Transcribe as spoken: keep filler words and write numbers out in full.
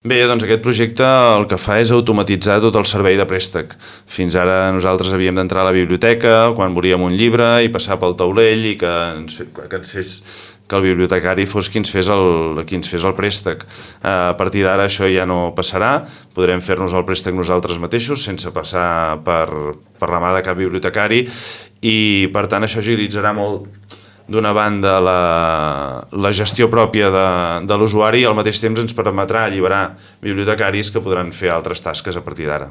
Bé, doncs aquest projecte el que fa és automatitzar tot el servei de préstec. Fins ara nosaltres havíem d'entrar a la biblioteca quan volíem un llibre i passar pel taulell i que ens, que ens fes que el bibliotecari fos qui ens fes el, qui ens fes el préstec. A partir d'ara això ja no passarà, podrem fer-nos el préstec nosaltres mateixos sense passar per, per la mà de cap bibliotecari i per tant això agilitzarà molt d'una banda la, la gestió pròpia de, de l'usuari i al mateix temps ens permetrà alliberar bibliotecaris que podran fer altres tasques a partir d'ara.